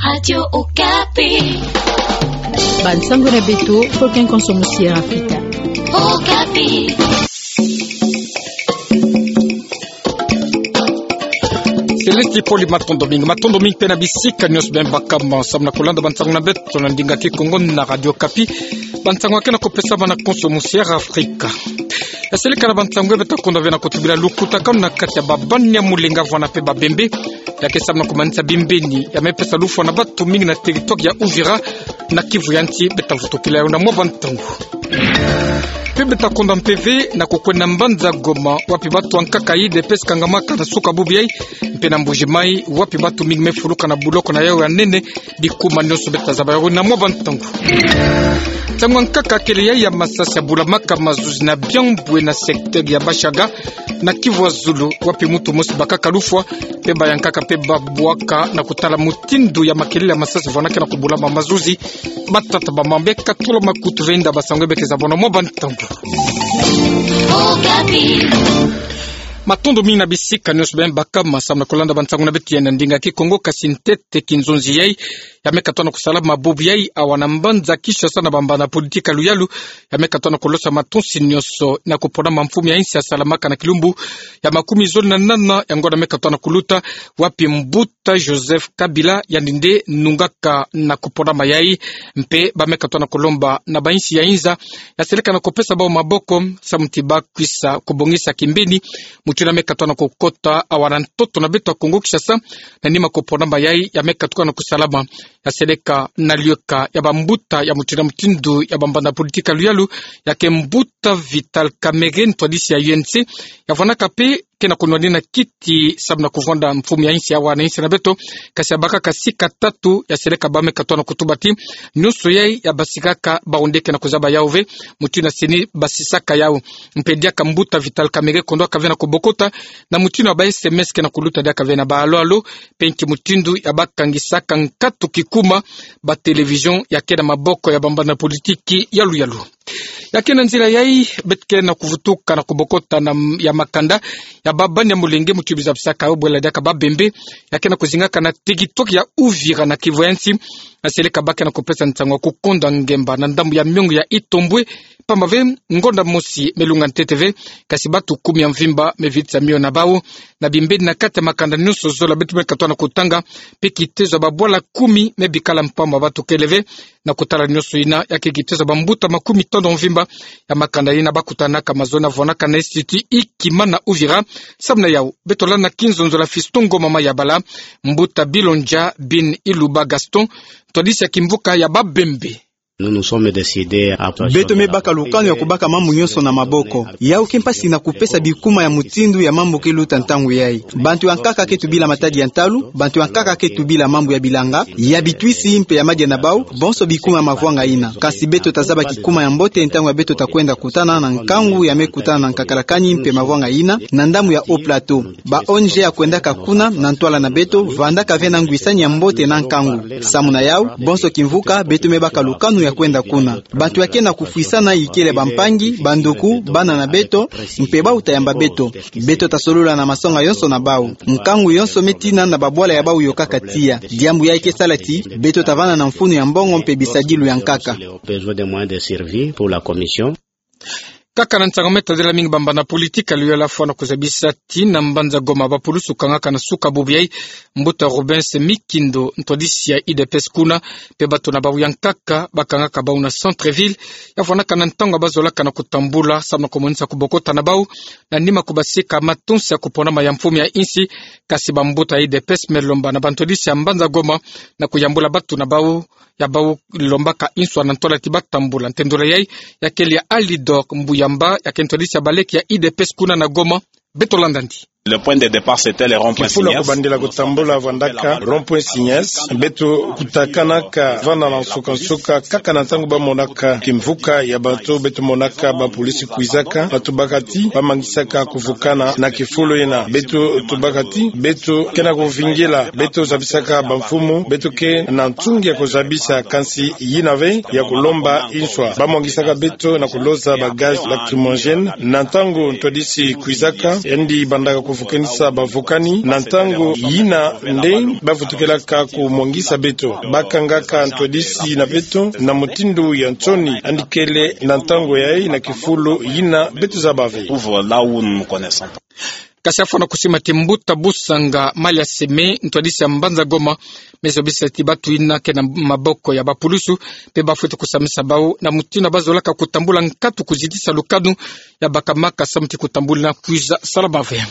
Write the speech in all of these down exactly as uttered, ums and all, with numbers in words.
Radio Okapi. Bansango na beto, Fokin Konso Musiera Afrika. Okapi. Céleste Poli, matondo mingi, matondo mingi mpe na bisika nyonso beno bakama samu na kolanda bansango na beto na ndinga Kikongo na Radio Okapi. Bansango ya ke na kopesama na Konso Musiera Afrika. Ya seleka na bansango ya beto, kondwa ve na kotubila lukutakanu na kati ya babani ya molenge vwanda mpe babembe. Ya ke samu na komanisa bimbeni ya me pesa lufwa na batu mingi na territoire ya Uvira na Kivu ya nsi, beta vutukila yawu na mwa bantangu. Mpe beta kondwa mpe ve na kokwenda mbanza Goma, wapi batu ya nkaka U D P S kangamaka na suka bubu yayi, mpe na Mbuji Mayi, wapi batu mingi me fuluka na buloko na yawu ya nene. Bikuma nyonso beta zaba yawu na mwa bantangu. Ntangu ya nkaka kele yayi ya masasi ya bulamaka mazuzi na Biambwe na secteur ya Bashaga, na Kivu ya zulu, wapi mutu mosi bakaka lufwa, mpe bayankaka mpe babwaka na kotala mutindu ya makelele ya masasi vwanda ke na kobulama mazuzi. Batata, bamama, beka tula makutu ve nda bansango ya beke zaba na mwa bantangu. Matondo mingi na bisika nyonso beno bakama samu na kolanda bansango na beto ya na ndinga Kikongo, kasi ntete kinzonzi yayi ya me katuka na kosalama bubu yayi awa na mbanza Kinshasa na bambanza politiki ya luyalu, ya me katuka na kolosa matonsi nyonso na koponama mfumu ya insi ya salamaka na kilumbu ya makumi zole na nana ya ngonda me katuka na koluta, wapi mbuta Joseph Kabila, yandi nde nungaka na koponama yayi, mpe ba me katuka na kolomba na bainsi ya inza ya seleka na kopesa bawu maboko, samu ti ba kwisa kobongisa kimbeni mutindu ya me katuka na kokota awa na ntoto na beto ya Kongo Kinshasa, na nima koponama yayi ya me katuka na kosalama. Ya seleka na lieka ya bambuta ya mutindu na mutindu ya bambanza politiki ya luyalu, ya ke mbuta Vital Kamerhe, ntwadisi ya U N C, ya vwandaka mpe ke na konwanina kiti samu na kovwanda mfumu ya insi awa na insi na beto, kasi ya bakaka sika tatu. Ya seleka ba me katuka na kotuba ti nyonso yayi ya basikaka, bawu nde ke na kozaba yawu ve, mutindu ya seni basisaka yawu. Mpe diaka mbuta Vital Kamerhe kondwaka ve na kobokota na mutindu ya ba S M S ke na koluta diaka ve na ba alo alo, mpe nki mutindu ya bakangisaka nkatu kikuma ba télévision ya ke na maboko ya bambanza politiki ya luyalu. Ya ke na nzila yayi, beto ke na kovutuka na kobokota na m-, ya makanda ya babani ya molenge mutindu bizabisaka yawu bwela diaka babembe, ya ke na kozingaka na territoire ya Uvira na Kivu ya nsi. Ya seleka ba ke na kopesa nsangu ya kokonda ngemba na ndambu ya miongo ya Itombwe, pamba ve ngonda mosi me lunga ntete ve, kasi batu kumi ya mvimba me vitisa mio na bawu. Na bimbeni na kati ya makanda nyonso zola beto me katuka na kotanga, mpe kitezo ya babwala kumi me bikala mpamba, batu kele ve. Na kotala nyonso yina, ya ke kitezo ya bambuta makumi tanu mvimba ya makanda yina bakutanaka mazono ya vwandaka na Institut Ikima na Uvira. Samu na yawu, beto landa na kinzonzolo ya Fiston Ngoma Mayabala, mbuta Bilondja bin Iluba Gaston, ntwadisi ya kimvuka ya babembe. Nous nous sommes décidés à... Beto me baka lukanu ya kobaka mambu nyonso na maboko. Yawu ke mpasi na kopesa bikuma ya mutindu ya mambu ke luta ntangu yayi. Bantu ya nkaka ke tubila matadi ya ntalu, bantu ya nkaka ke tubila mambu ya bilanga, ya bitwisi mpe ya madia na bawu, bonso bikuma ya mavwanga yina. Kasi beto ta zaba kikuma ya mbote ntangu ya beto ta kwenda kutana na nkangu ya me kutana na nkakalakani mpe mavwanga yina, na ndambu ya Haut-Plateau. Ba O N G ya kwendaka kuna na ntwala na beto, vandaka ve na ngwisani ya mbote na nkangu. Samu na yawu, bonso kimvuka, beto me baka lukanu ya kwenda kuna. Bantu ya ke na kofwisana ikele bampangi, banduku, bana na beto, mpe bawu ta yamba beto. Beto ta solola na masonga yonso na bawu. Nkangu yonso me tina na babwala ya bawu yokaka tiya. Diambu yayi ke sala ti beto ta vanda na mfunu ya mbongo mpe bisadilu ya nkaka. Besoin de moyens de survie pour la commission. Kaka na nsangu me tadila mingi bambanza politiki ya luyalu, fwana kozabisa ti na mbanza Goma, bapulusu kangaka na suka bubu yayi mbuta Rubens Mikindo, ntwadisi ya U D P S kuna, mpe bato na bawu ya nkaka bakangaka bawu na centre-ville. Ya fwanaka na ntangu ya bazolaka na kotambula samu na komonisa kobokota na bawu na nima kobasika matonsi ya koponama ya mfumu ya insi. Kasi bambuta ya U D P S me lomba na bantwadisi ya mbanza Goma na koyambula bato na bawu ya bawu lombaka inswa na ntwala ti batambula. Ntendolo yayi ya kele ya Alidor Mbuyamba, ya ke ntwadisi ya baleke ya U D P S kuna na Goma. Beto landa ndi. Le point de départ, c'était le rond-point Signès. Kifulu ya kobandela kotambula vandaka rond-point Signès. Beto kutakanaka vana na nsuka-nsuka, kaka na ntangu bamonaka kimvuka ya bato, beto monaka bapolisi kwizaka, bato bakaka ti bamangisaka kuvukana na kifulu yina. Beto tubaka ti beto ke na kovingila, beto zabisaka bamfumu, beto ke na ntungi ya kozabisa, kansi yina ve ya kolomba inswa. Bamwangisaka beto na koloza ba gaz lacrymogène. Na ntangu ntwadisi kwizaka, yandi bandaka vukanisa bavukani na ntangu yina nde bavutukelaka kumwangisa beto. Bakangaka ntwadisi na beto na mutindu ya nsoni, yandi kele na ntangu yayi na kifulu yina beto zaba ve. Ouvre là où nous nous connaissons. Kasi afwana kusima ti mbuta Busanga Malia Seme, ntwadisi ya mbanza Goma, me zobisa ti batu yina ke na maboko ya bapulusu, mpe bafwete kusamisa bau na mutindu bazolaka kutambula nkatu kuzitisa lukanu ya bakamaka samu ti kutambula na kwiza salama ve.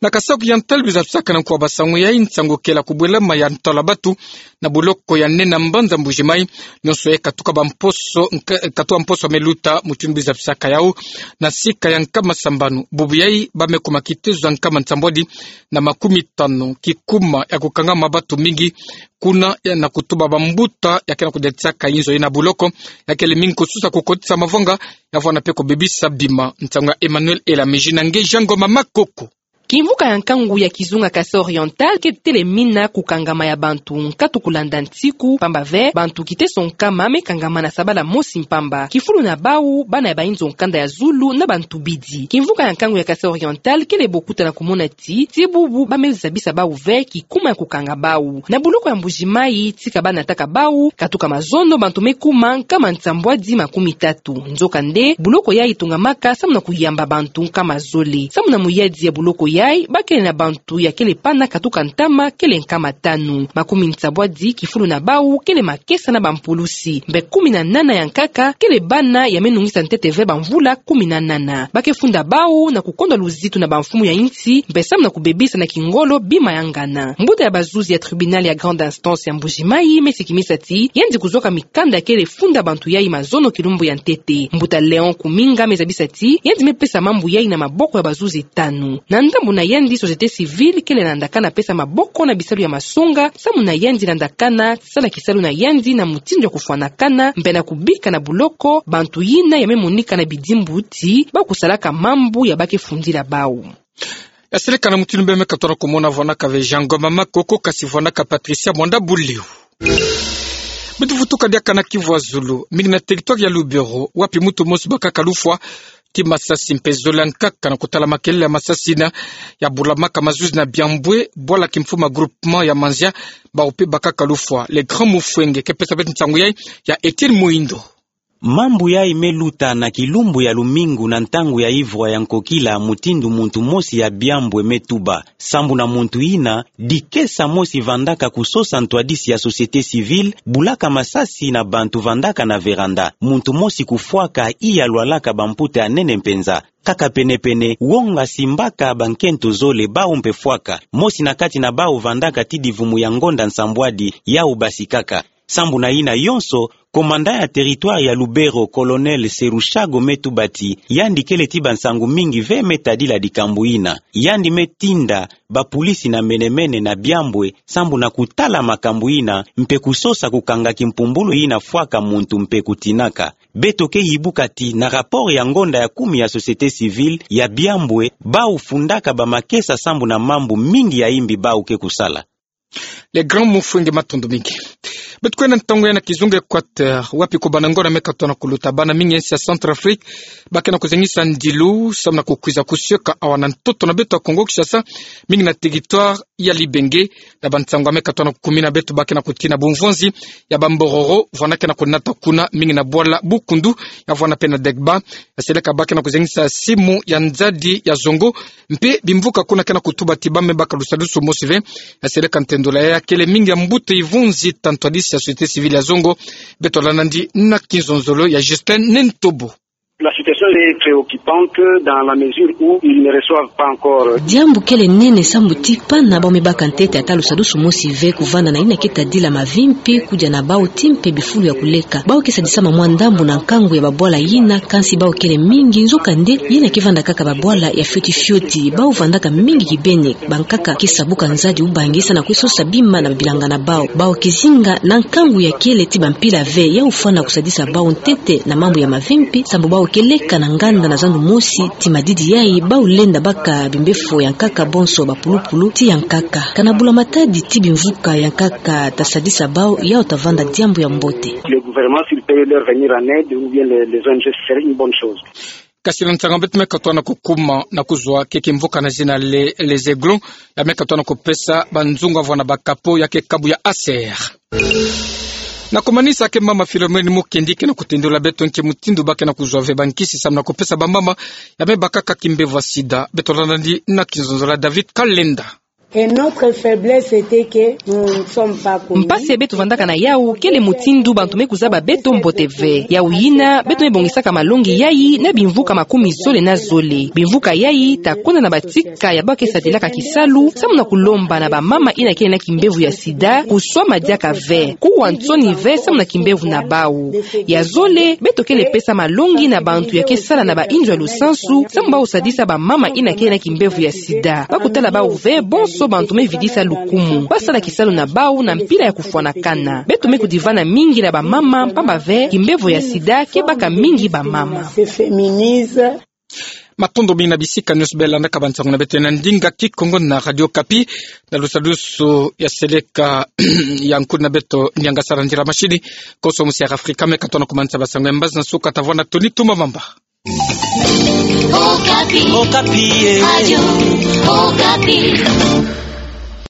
Na Kasaï Oriental, biza bisaka na nkuwa basangu yayi nsangu kele kubwelama ya ntwala batu na buloko ya nene na mbanza Mbuji-Mayi, nyonso yayi katuka bamposo, nka-, katuka mposo me luta, mutindu biza bisaka yau na sika ya nkama sambanu. Bubu yayi ba me kuma kitezo ya nkama nsambwadi na makumi tanu. Kikuma ya kukangama batu mingi kuna ya na kutuba bambuta ya ke na kudetisaka inzo yayi na buloko, ya kele mingi kususa kukotisa mavanga, ya vwanda mpe kubebisa bima. Nsangu ya Emmanuel Elamiji na nge Jean Ngoma Makoko. Kimvuka ya nkangu ya kizunga Kasaï Oriental ke telemina kukangama ya bantu nkatu kulanda nsiku, pamba ve bantu kiteso nkama me kangama na sabala mosi mpamba. Kifulu na bau bana ya bainzo nkanda ya zulu na bantu bidi. Kimvuka ya nkangu ya Kasaï Oriental kele bokuta na kumona ti, ti bubu ba me zabisa bau ve kikuma ya kukanga bau. Na buloko ya Mbuji-Mayi, tika ba nataka bau, katuka mazono bantu me kuma nkama nsambwadi makumi tatu. Nzokande, buloko yayi tungamaka samu na kuyamba bantu nkama zole. Samu na muyadi ya buloko yayi, ba kele na bantu ya kele pana katuka ntama kele nkama tanu. Makumi nsambwadi kifulu na bau kele makesa na bampulusi. Mpe kumi na nana ya nkaka kele bana ya me nungisa ntete ve bamvula kumi na nana. Ba ke funda bau na kukondwa luzitu na bamfumu ya insi, mpe samu na kubebisa na kingolo bima ya ngana. Mbuta ya bazuzi ya tribunal ya grande instance ya Mbuji-Mayi me sikimisa ti yandi kuzwaka mikanda ya kele funda bantu yayi mazono kilumbu ya ntete. Mbuta Léon Kuminga me zabisa ti yandi me pesa mambu yayi na maboko ya bazuzi tanu. Na ndambu na yandi, société civile kele landakana pesa maboko na bisalu ya masonga, samu na yandi landakana sala kisalu na yandi na mutindu ya kufwanakana, mpe na kubika na buloko bantu yina ya me monika na bidimbu ti ba kusalaka mambu ya ba ke fundila bau. Ya seleka na mutindu beno me katuka na kumona, vwanaka ve Jean Ngoma Makoko, kasi vwanaka Patricia Mwanda Buliu. Beto vutuka diaka na Kivu ya Zulu, mingi na territoire ya Lubero, wapi muntu mosi bakaka lufwa ti masasi mpe zole ya nkaka na kutala makelele ya masasi yina ya bulamaka mazuzi na Biambwe, bwala kimfumu ya groupement ya Manzia, bau mpe bakaka lufwa. Le Grand Mufwenge ke pesa beto nsangu yayi, ya Etienne Muindo. Mambu yayi me luta na kilumbu ya lumingu na ntangu ya ivwa ya nkokila, mutindu muntu mosi ya Biambwe me tuba. Sambu na muntu yina, dikesa mosi vandaka kusosa ntwadisi ya société civile, bulaka masasi na bantu vandaka na véranda. Muntu mosi kufwaka, iya lwalaka bamputa ya nene mpenza. Kaka penepene, wonga simbaka bankento zole, bau mpe fwaka. Mosi na kati na bau vandaka ti divumu ya ngonda nsambwadi, yau basikaka. Sambu na yina yonso, commandant ya territoire ya Lubero, colonel Serushago, me tuba ti yandi kele ti bansangu mingi ve me tadila dikambu yina. Yandi me tinda bapulisi na menemene na Biambwe sambu na kutala makambu yina mpe kusosa kukanga kimpumbulu yina fwaka muntu mpe kutinaka. Beto ke yibuka ti na rapport ya ngonda ya kumi ya société civile ya Biambwe, bau fundaka bamakesa sambu na mambu mingi ya imbi bau ke kusala. Le Grand Mufwenge, matondo mingi. Beto kwenda ntangu ya na kizunga Équateur, wapi kubana ngona me katuka na kuluta, bana mingi ya insi ya Centrafrique ba ke na kuzengisa ndilu samu na kukwiza kusioka awa na ntoto na beto ya Kongo Kinshasa, mingi na territoire ya Libenge. Na bansangu ya me katuka na kukumina, beto ba ke na kutina bumvwanzi ya bambororo vwana ke na kunata kuna, mingi na bwala Bukundu, ya vwana mpe na Degba. Ya seleka ba ke na kuzengisa simu ya nzadi ya zongo, mpe bimvuka kuna ke na kutuba ti ba me baka lusadusu mosi ve. Ya seleka ntendula ya kele mingi ya mbuta ivunzi ta ntwadisi ya société civile ya zongo. Beto landa nandi na kinzonzolo ya Justin Nentobo. La situation est préoccupante dans la mesure où ils ne reçoivent pas encore. Diambu kele nene sambu ti pana bau me baka ntete ata lusadusu mosi ve kuvanda na yina ke tadila mavimpi kudia na bau ti mpe bifulu ya kuleka. Bau ke sadisama mwa ndambu na nkangu ya babwala yina, kansi bau kele mingi, nzokande yina ke vanda kaka babwala ya fioti fioti. Bau vandaka mingi kibeni. Bankaka ke sabuka nzadi ubangi sa na kwiza sosa bima na babilanga na bau. Bau ke zinga na nkangu ya kele ti bampila ve, ya ufwana kusadisa bau ntete na mambu ya mavimpi, sambu bau ke leka na nganda na zandu mosi. Ti madidi yayi, bau lenda baka bimbefo ya nkaka bonso bapulupulu ti ya nkaka. Kana bula matadi ti bimvuka ya nkaka ta sadisa bau, yau ta vanda diambu ya mbote. Le gouvernement, s'il peut leur venir en aide, ou bien les, les O N G, ce serait une bonne chose. Kasi na nsangu beto me katoa na kukuma na kuzwa ke kimvuka na zina le, les Aiglons, ya me katoa na kupesa banzungu avwani bakapo ya ke kabu ya Acer. Na kumanisa ke mama Philomène Mukendi ke na kutindula beto nki mutindu ba ke na kuzwa ve bankisi samu na kupesa bamama ya me bakaka kimbevo ya sida. Beto landa ni na kinzonzolo ya David Kalenda. Et notre faiblesse était que nous ne sommes pas connus. Mpasi beto vandaka na yawu kele mutindu bantu me kuzaba beto mbote ve. Yawu yina, beto me bongisaka malongi yayi na bimvuka makumi zole na zole. Bimvuka yayi ta kwenda na batika ya ba ke sadilaka kisalu samu na kulomba na bamama yina ke na kimbevo ya sida kuswama diaka ve, kuwa nsoni ve samu na kimbevo na bawu. Ya zole, beto kele pesa malongi na bantu ya ke sala na bainzo ya lusansu samu bau sadisa bamama yina ke na kimbevo ya sida. Ba kutala bawu ve bonso bantu me vidisa lukumu. Ba sala kisalu na bawu na mpila ya kufwanakana. Beto me kudivana mingi na bamama, mpamba ve kimbevo ya sida ke baka mingi bamama. Se féminise. Matondo mingi na bisika nyonso bela landaka bansangu na beto na ndinga Kikongo na Radio Okapi. Na lusadusu ya seleka ya nkuna beto Nianga Sala Ndira Mashini, konso musi ya Afrika me katoa na kumanisa bansangu ya mbazi na nsuka ta vwanda toni tuma mamba. Okapi. Okapi, eh. Radio Okapi.